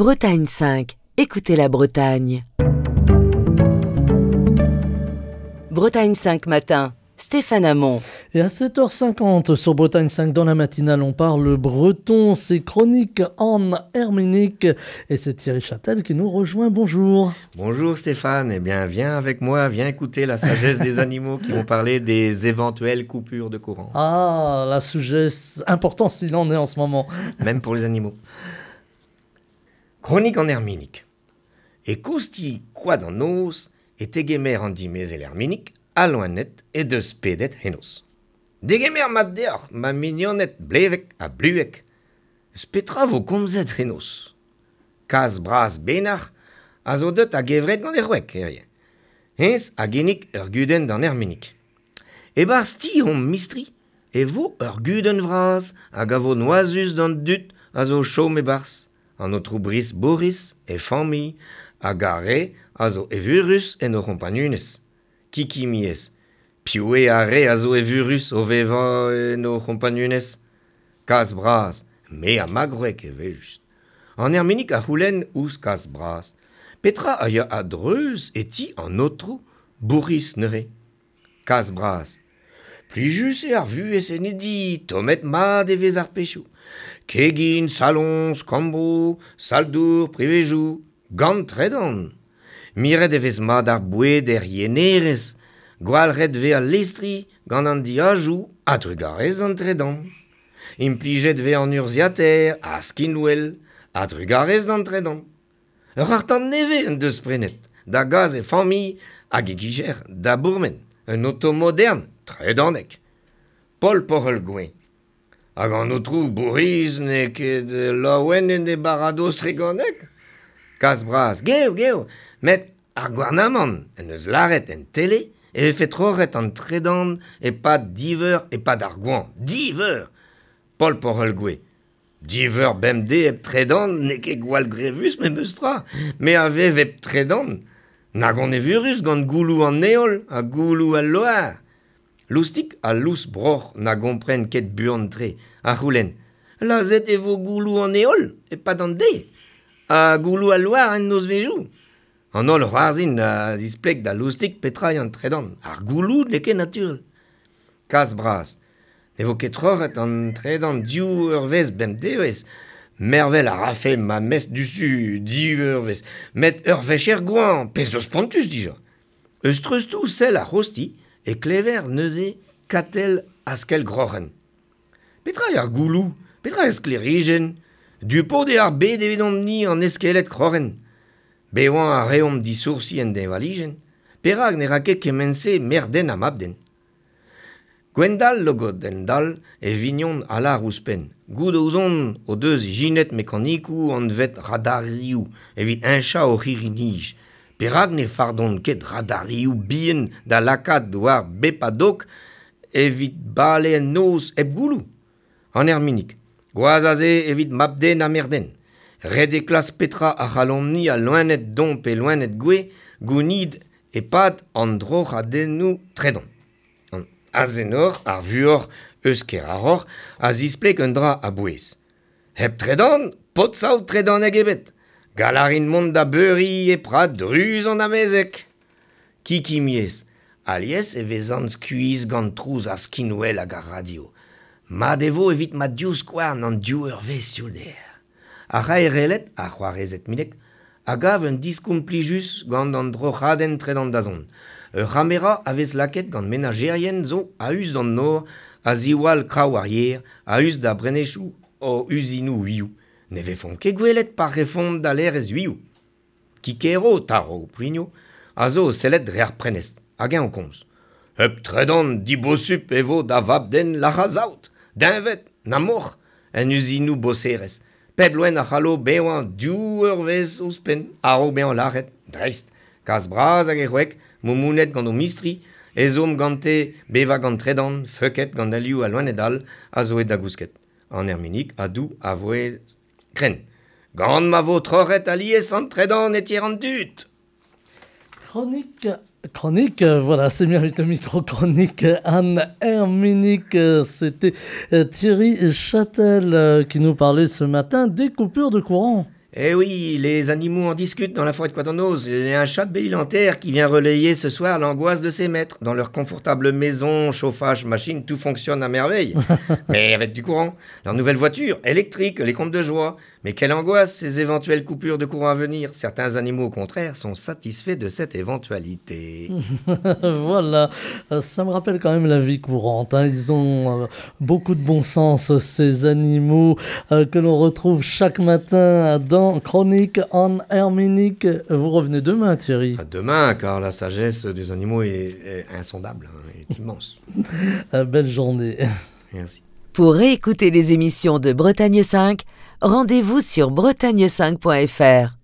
Bretagne 5, écoutez la Bretagne. Bretagne 5 matin, Stéphane Hamon. Et à 7h50 sur Bretagne 5 dans la matinale, on parle breton, c'est chronique en herménique. Et c'est Thierry Châtel qui nous rejoint. Bonjour. Bonjour Stéphane, eh bien viens avec moi, viens écouter la sagesse des animaux qui vont parler des éventuelles coupures de courant. Ah, la sagesse importante s'il en est en ce moment. Même pour les animaux. Chronique en herminique. E kosti koad an noz e tegemer an dimezell Herminig al loened he deus pedet henoz. Degemer mat deoc'h, ma mignoned blevek ha bluek. Eus petra vo komzet henoz? Kazh bras Benac'h a zo deut a-gevret gant e c'hwek hiziv. Hennezh a ginnig ur gudenn d'an Herminig. E-barzh ti hon mistri e vo ur gudenn vras hag a vo noazus d'an dud a zo o chom e-barzh. An aotrou Brice Boris, e familh, hag ar re a zo evurus en o c'hompagnunezh. Kikimiez. Piv eo ar re a zo evurus o vevañ en o c'hompagnunezh? Kazh bras, me ha ma gwreg evel-just. An Erminig a c'houlenn ouzh Kazh bras. Petra a ya a-dreuz e ti an aotrou Bourc'hiz neuze? Kazh bras. Plijus eo ar vuhez en e di, tommet mat e vez ar pechoù. Kegin, saloñs, kambroù, sal-dour, privezoù, gant tredan. Miret e vez mat ar boued er yenerez, gwalc'het 'vez al listri gant an diazoù a-drugarez d'an tredan. Implijet 'vez an urzhiataer ha skinwel a-drugarez d'an tredan. Ur c'harr-tan nevez en deus prenet da gas e familh hag e gijer da bourmen, un oto modern, tredanek. Paul Porc'hell-Gouin. Hag an aotrou Bourc'hiz n'eo ket laouen en e baradoz treganek? Kas bras, geo, geo, met ar gouarnamant en deus lâret en tele e vefe troc'het an tredan e-pad div eur e-pad ar goañv. Div eur! Paul Porc'hell-Gouez. Div eur bemdez hep tredan n'eo ket gwall grevus memes tra, me a vev hep tredan. Nag on evurus gant gouloù an heol ha gouloù al loar. Loustig ha lous broc'h na gompren ket buan-tre, a c'houlenn Lazhet e vo gouloù an heol e-pad an deiz ha gouloù al loar en nozvezhioù. An holl c'hoarzhin a zispleg da Loustig petra eo an tredan. Ar gouloù n'eo ket naturel. Kas bras. Ne vo ket troc'het an tredan div eurvezh bemdevezh. Mervel a rafe ma mestr diouzhtu div eurvezh. Met ur wech er goañv, pezh zo spontus dija. Eus treustoù sell ar c'hozhti e klever neuze Katell Askell-Groc'hen. Petra eo ar gouloù? Petra eo sklêrijenn? Du-pod eo ar bed evidomp-ni an eskeled kroc'hen. Bevañ a reomp disoursi en deñvalijenn. Perak ne ra ket kement-se merc'h-den ha mab-den? Gwendal Logodenn-Dall, e vignon a lâr ouzhpenn. Goût ouzon o deus ijinet mekanikoù anvet radarioù evit heñchañ o c'hirri-nij. Perak ne fardont ket radarioù bihan da lakaat war bep a dog evit bale en noz hep gouloù? An Erminig. Gwazh a se evit mab-den ha merc'h-den. Ret eo klask petra a c'hallomp-ni al loened don pe loened gouez gounid e-pad an droc'hadennoù tredan. An Azenor, ar vuoc'h eus Keraroc'h, a zispleg un dra a-bouez. Hep tredan, paotr-saout tredanek ebet. Gall a rin mont da beuriñ e prad druz an amezeg. Kikimiez, alies e vezan skuizh gant trouz ar skinwel hag ar radio. Mat e vo evit ma divskouarn an div eurvezh sioulder. Ar c'haerelled, ar c'hoarezed Mileg, a gav un diskoulm plijus gant an droc'hadenn tredan da zont. Ur c'hamera a vez lakaet gant menajerien zo a-us d'an nor a ziwall kraou ar yer, a-us da brenechoù o uzinoù uioù. Ne vefont ket gwelet pa refont da laerezh uioù. Kikero, Taro Plinio, a zo o sellet dre ar prenestr, hag eñ o komz. Hep tredan dibosupl e vo da vab-den lac'hañ saout, deñved, na moc'h, en uzinoù boserezh. Pep loen a c'hallo bevañ div eurvezh ouzhpenn a-raok bezañ lâret, dreist. Kazh bras hag e c'hwek, moumounet gant o mistri, ezhomm gante bevañ gant tredan, feuket gant alioù al loened all a zo aet da gousket. An erminig a dou a vouezh krenn. Gant ma vo troc'het alies an tredan e tier an dud. Chronique Chronique, voilà, c'est bien avec le micro chronique Anne Herminique. C'était Thierry Châtel qui nous parlait ce matin des coupures de courant. Eh oui, les animaux en discutent dans la forêt de Quadonos. Il y a un chat de Belle-Île-en-Terre qui vient relayer ce soir l'angoisse de ses maîtres. Dans leur confortable maison, chauffage, machine, tout fonctionne à merveille. Mais avec du courant. Leur nouvelle voiture, électrique, les comptes de joie. Mais quelle angoisse ces éventuelles coupures de courant à venir. Certains animaux, au contraire, sont satisfaits de cette éventualité. Voilà, ça me rappelle quand même la vie courante. Hein. Ils ont beaucoup de bon sens, ces animaux que l'on retrouve chaque matin dans Chronique en Herminique. Vous revenez demain, Thierry. À demain, car la sagesse des animaux est insondable, hein, est immense. Belle journée. Merci. Pour réécouter les émissions de Bretagne 5, rendez-vous sur bretagne5.fr.